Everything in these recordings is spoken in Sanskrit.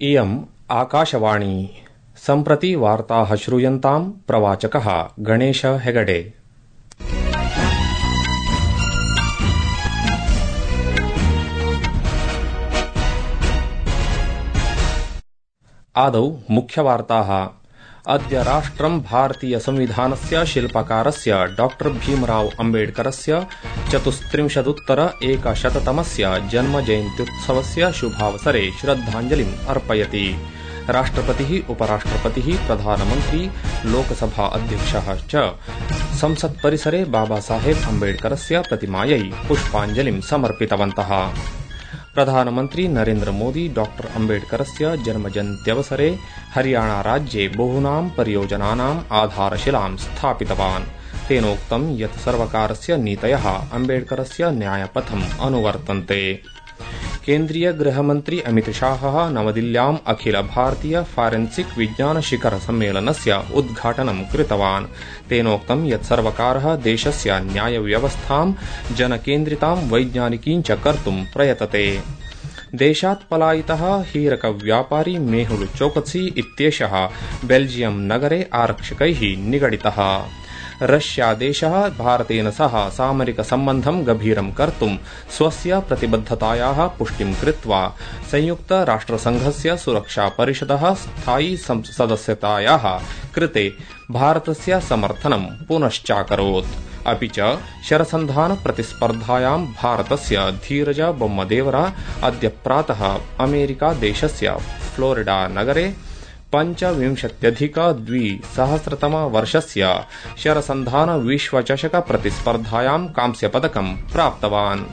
इयम् आकाशवाणी सम्प्रति वार्ताः श्रूयन्ताम् प्रवाचकः गणेश हेगडे। आदौ मुख्यवार्ताः। अद्य राष्ट्रं भारतीय संविधानस्य शिल्पकारस्य डॉ भीमराव अम्बेडकरस्य 34-तमस्य जन्मजयन्त्युत्सवस्य शुभावसरे श्रद्धाञ्जलिम् अर्पयति। राष्ट्रपतिः, उपराष्ट्रपतिः, प्रधानमन्त्री, लोकसभा अध्यक्षः च संसत्परिसरे बाबासाहेब अम्बेडकरस्य प्रतिमायै पुष्पाञ्जलिं समर्पितवन्तः। प्रधानमन्त्री नरेन्द्र मोदी डॉ अम्बेडकरस्य जन्मजयन्त्यवसरे हरियाणा राज्ये बहूनां परियोजनानाम् आधारशिलां स्थापितवान्। तेनोक्तं यत् सर्वकारस्य नीतयः अम्बेडकरस्य न्यायपथम् अनुवर्तन्ते। केन्द्रीय गृहमन्त्री अमितशाहः नवदिल्ल्याम् अखिल भारतीय फारेन्सिक विज्ञान शिखर सम्मेलनस्य उद्घाटनं कृतवान्। तेनोक्तं यत् सर्वकारः देशस्य न्यायव्यवस्थां जनकेन्द्रितां वैज्ञानिकीं च कर्तुं प्रयतते। देशात् पलायितः हीरकव्यापारी मेहुल चोकसी इत्येषः बेल्जियम नगरे आरक्षकैः निगडितः। रष्यादेशः भारतेन सह सामरिकसम्बन्धं गभीरं कर्तुं स्वस्य प्रतिबद्धतायाः पुष्टिं कृत्वा संयुक्तराष्ट्रसंघस्य सुरक्षापरिषदः स्थायी सदस्यतायाः कृते भारतस्य समर्थनं पुनश्चाकरोत्। अपि च शरसन्धान प्रतिस्पर्धायां भारतस्य धीरज बोम्मदेवरा अद्य प्रातः अमेरिका देशस्य फ्लोरिडा नगरे 25,200 शरसन्धान विश्वचषक प्रतिस्पर्धायां कांस्यपदकं प्राप्तवान्।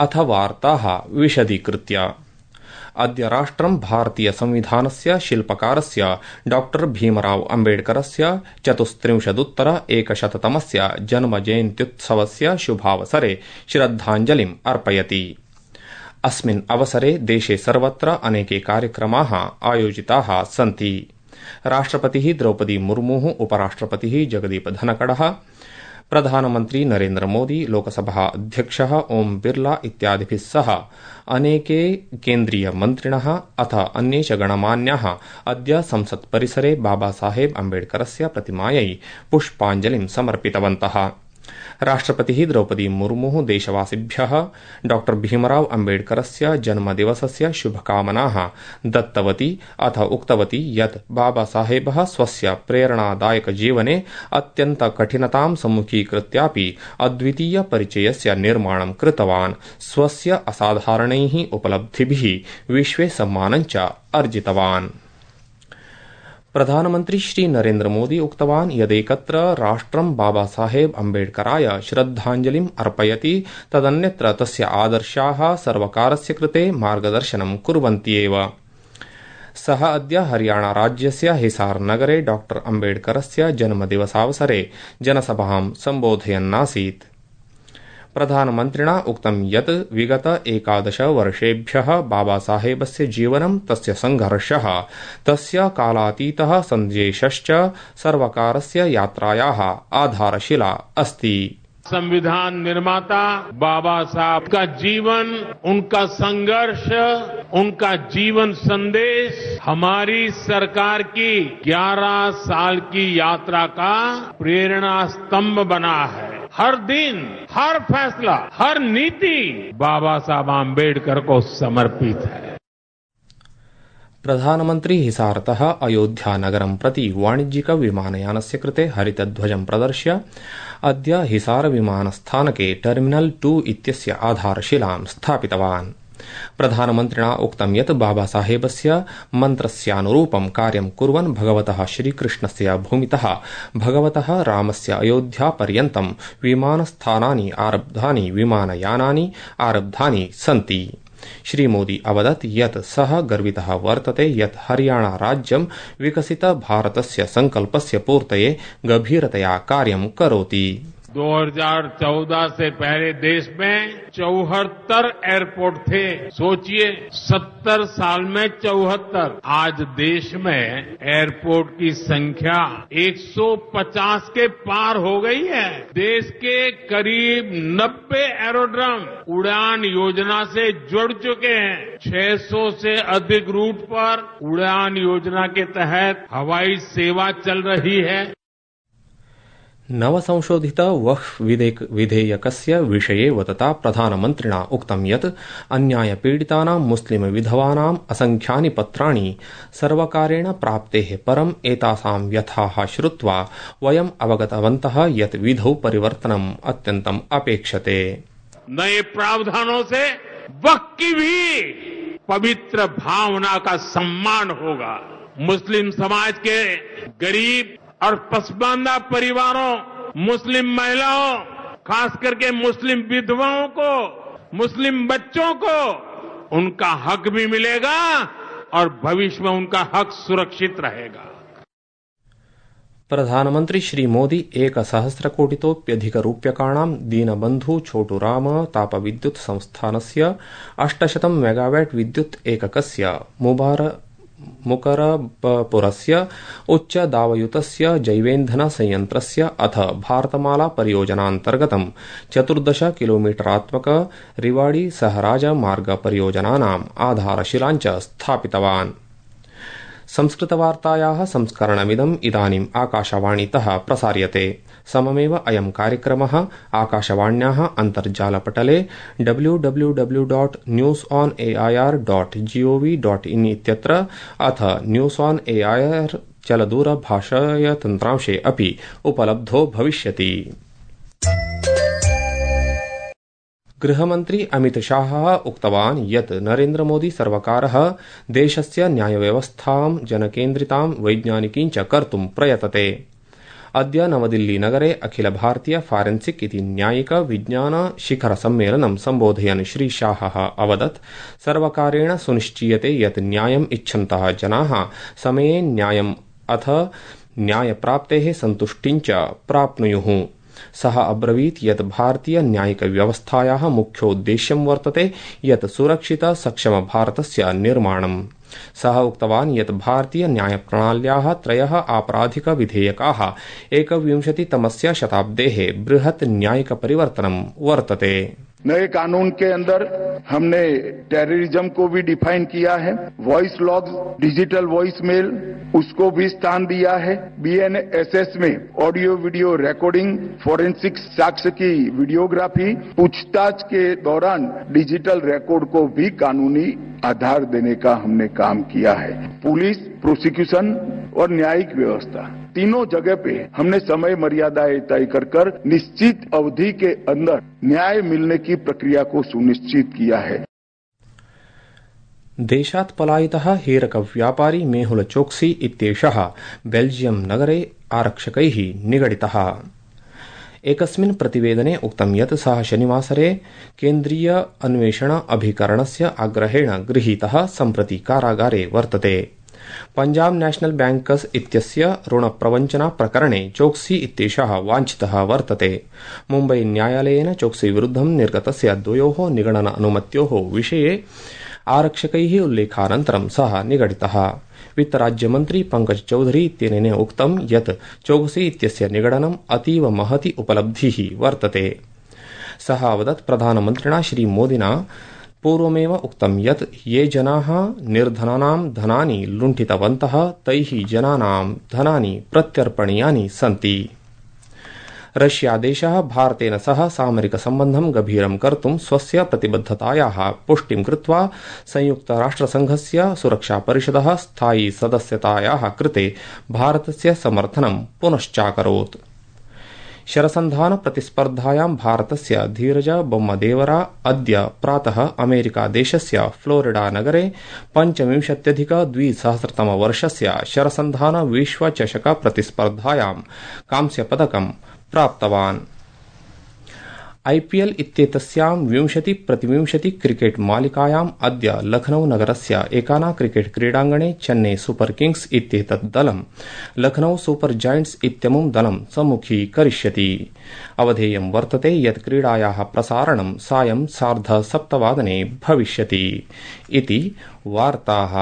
अथ वार्ताः विशदीकृत्य। अद्य राष्ट्रं भारतीय संविधानस्य शिल्पकारस्य डॉ भीमराव अम्बेडकरस्य 34-तमस्य जन्मजयन्त्युत्सवस्य शुभावसरे श्रद्धाञ्जलिम् अर्पयति। अस्मिन् अवसरे देशे सर्वत्र अनेके कार्यक्रमाः आयोजिताः सन्ति। राष्ट्रपतिः द्रौपदी मुर्मुः, उपराष्ट्रपतिः जगदीप धनखडः, प्रधानमन्त्री नरेन्द्र मोदी, लोकसभा अध्यक्षः ओम बिर्ला इत्यादिभिः सह अनेके केन्द्रीय मन्त्रिणः अथ अन्ये च गणमान्याः अद्य संसत्परिसरे बाबासाहेब अम्बेडकरस्य प्रतिमायै पुष्पाञ्जलिं समर्पितवन्तः। राष्ट्रपतिः द्रौपदी मुर्मुः देशवासिभ्यः डॉ भीमराव अम्बेडकरस्य जन्मदिवसस्य शुभकामनाः दत्तवती अथ उक्तवती यत् बाबासाहेबः स्वस्य प्रेरणादायक जीवने अत्यन्त कठिनतां सम्मुखीकृत्यापि अद्वितीय परिचयस्य निर्माणं कृतवान्। स्वस्य असाधारणैः उपलब्धिभिः विश्वे सम्मानं च अर्जितवान्। प्रधानमन्त्री श्री नरेन्द्र मोदी उक्तवान् यदेकत्र राष्ट्रं बाबासाहेब अम्बेडकराय श्रद्धाञ्जलिम् अर्पयति तदन्यत्र तस्य आदर्शाः सर्वकारस्य कृते मार्गदर्शनं कुर्वन्त्येव। सः अद्य हरियाणा राज्यस्य हिसार नगरे डॉ अम्बेडकरस्य जन्मदिवसावसरे जनसभां सम्बोधयन्नासीत्। प्रधानमन्त्रिणा उक्तं यत् विगत 11 वर्षेभ्यः बाबासाहेबस्य जीवनं, तस्य संघर्षः, तस्य कालातीतः सन्देशश्च सर्वकारस्य यात्रायाः आधारशिला अस्ति। संविधान निर्माता बाबा साहब का जीवन, उनका संघर्ष, उनका जीवन संदेश हमारी सरकार की 11 साल की यात्रा का प्रेरणा स्तंभ बना है। हर दिन, हर फैसला, हर नीति बाबा साहब आम्बेडकर को समर्पित है। प्रधानमन्त्री हिसारतः अयोध्यानगरं प्रति वाणिज्यिक विमानयानस्य कृते हरितध्वजं प्रदर्श्य अद्य हिसार विमानस्थानके टर्मिनल 2 इत्यस्य आधारशिलां स्थापितवान्। प्रधानमन्त्रिणा उक्तं यत् बाबासाहेबस्य मन्त्रस्यानुरूपं कार्यं कुर्वन् भगवतः श्रीकृष्णस्य भूमितः भगवतः रामस्य अयोध्यापर्यन्तं विमानस्थानानि आरब्धानि, विमानयानानि आरब्धानि सन्ति। श्रीमोदी अवदत् यत् सः गर्वितः वर्तते यत् हरियाणा राज्यं विकसित भारतस्य संकल्पस्य पूर्तये गभीरतया कार्यं करोति। 2014 से पहले देश में 74 एयरपोर्ट थे। सोचिए 70 साल में 74। आज देश में एयरपोर्ट की संख्या 150 के पार हो गई है। देश के करीब 90 एरोड्रम उड़ान योजना से जुड़ चुके हैं। 600 से अधिक रूट पर उड़ान योजना के तहत हवाई सेवा चल रही है। नवसंशोधित वक्फ विधेयकस्य विषये वदता प्रधानमन्त्रिणा उक्तं यत् अन्यायपीडितानां मुस्लिम विधवानाम् असंख्यानि पत्राणि सर्वकारेण प्राप्तेः परम् एतासां व्यथाः श्रुत्वा वयम् अवगतवन्तः यत् विधौ परिवर्तनम् अत्यन्तम् अपेक्षते। नए प्रावधानों से वक्फ की भी पवित्र भावना का सम्मान होगा। मुस्लिम समाज के गरीब और पसमानदा परिवारों, मुस्लिम महिलाओं, खास करके मुस्लिम विधवाओं को, मुस्लिम बच्चों को उनका हक भी मिलेगा और भविष्य में उनका हक सुरक्षित रहेगा। प्रधानमन्त्री श्रीमोदी 1,000,कोटितोऽप्यधिकरूप्यकाणां दीनबन्धु छोटुराम तापविद्युत् संस्थानस्य 800 मेगावाट् विद्युत् एककस्य मुकरबपुरस्य उच्चदावयुतस्य जैवेन्धन संयन्त्रस्य अथ भारतमाला परियोजनान्तर्गतं 14 किलोमीटरात्मक रिवाड़ी सहराज मार्ग परियोजनानाम् आधारशिलां च स्थापितवान्। संस्कृतवार्तायाः संस्करणमिदम् इदानीम् आकाशवाणीतः प्रसार्यते। सममेव अयं कार्यक्रमः आकाशवाण्याः अन्तर्जालपटले www.newsonair.gov.in इत्यत्र अथ न्यूस् ऑन एआईआर चलदूरभाषायतन्त्रांशे अपि उपलब्धो भविष्यति। गृहमन्त्री अमित शाहः उक्तवान् यत् नरेन्द्रमोदी सर्वकारः देशस्य न्यायव्यवस्थां जनकेन्द्रितां वैज्ञानिकीं च कर्तुं प्रयतते। अद्य नवदिल्लीनगरे अखिल भारतीय फॉरेंसिक इति न्यायिक विज्ञान शिखर सम्मेलनं सम्बोधयन् श्री शाहः अवदत् सर्वकारेण सुनिश्चीयते यत् न्यायम् इच्छन्तः जनाः समये न्यायम् अथ न्यायप्राप्तेः सन्तुष्टिं च प्राप्नुयुः। सः अब्रवीत् यत् भारतीय न्यायिक व्यवस्थायाः मुख्योद्देश्यं वर्तते यत् सुरक्षित सक्षम भारतस्य निर्माणम्। सः उक्तवान् यत् भारतीय न्यायप्रणाल्याः 3 आपराधिक विधेयकाः 21तमस्य शताब्देः बृहत् न्यायिक परिवर्तनं वर्तते। नए कानून के अंदर हमने टेररिज्म को भी डिफाइन किया है। Voice log, digital voice mail, उसको भी स्थान दिया है। बीएनएसएस में ऑडियो वीडियो रिकॉर्डिंग, फोरेंसिक साक्ष्य की वीडियोग्राफी, पूछताछ के दौरान डिजिटल रिकॉर्ड को भी कानूनी आधार देने का हमने काम किया है। पुलिस, प्रोसिक्यूशन और न्यायिक व्यवस्था तीनों जगह पे हमने समय मर्यादाएं तय कर निश्चित अवधि के अंदर न्याय मिलने की प्रक्रिया को सुनिश्चित किया है। देशात् पलायितः हीरकव्यापारी मेहुल चोक्सी इत्येषः बेल्जियम नगरे आरक्षकैः निगडितः। एकस्मिन् प्रतिवेदने उक्तं यत् सः शनिवासरे केन्द्रीय अन्वेषण अभिकरणस्य आग्रहेण गृहीतः सम्प्रति कारागारे वर्तते। पंजाब नेशनल बैंकर्स इत्यस्य ऋणप्रवञ्चना प्रकरणे चोक्सी इत्येषः वाञ्छितः वर्तते। मुम्बई न्यायालयेन चोक्सी विरुद्धं निर्गतस्य 2 निगडन अनुमत्योः विषये आरक्षकैः उल्लेखानन्तरं सः निगडितः। वित्तराज्यमन्त्री पंकज चौधरी इत्यनेन उक्तं यत् चोक्सी इत्यस्य निगडनम् अतीव महती उपलब्धिः वर्तते। सः अवदत् प्रधानमन्त्रिणा श्रीमोदिना पूर्वमेव उक्तं यत् ये जनाः निर्धनानां धनानि लुण्ठितवन्तः तैः जनानां धनानि प्रत्यर्पणीयानि सन्ति। रष्यादेशः भारतेन सह सामरिक सम्बन्धं गभीरं कर्तुं स्वस्य प्रतिबद्धतायाः पुष्टिं कृत्वा संयुक्तराष्ट्रसंघस्य सुरक्षापरिषदः स्थायी सदस्यतायाः कृते भारतस्य समर्थनं पुनश्चाकरोत्। शरसन्धान प्रतिस्पर्धायां भारतस्य धीरज बोम्मदेवरा अद्य प्रातः अमेरिकादेशस्य फ्लोरिडा नगरे 25,200 शरसन्धान विश्वचषक प्रतिस्पर्धायां कांस्यपदकं प्राप्तवान्। आईपीएल इत्येतस्यां 20-20 क्रिकेट मालिकायाम् अद्य लखनऊ नगरस्य एकाना क्रिकेट क्रीडाङ्गणे चेन्नई सुपर किंग्स इत्येतत् दलं लखनऊ सुपर जायंट्स इत्यमुं दलं सम्मुखीकरिष्यति। अवधेयं वर्तते यत् क्रीडायाः प्रसारणं सायं 7:30 भविष्यति इति वार्ताः।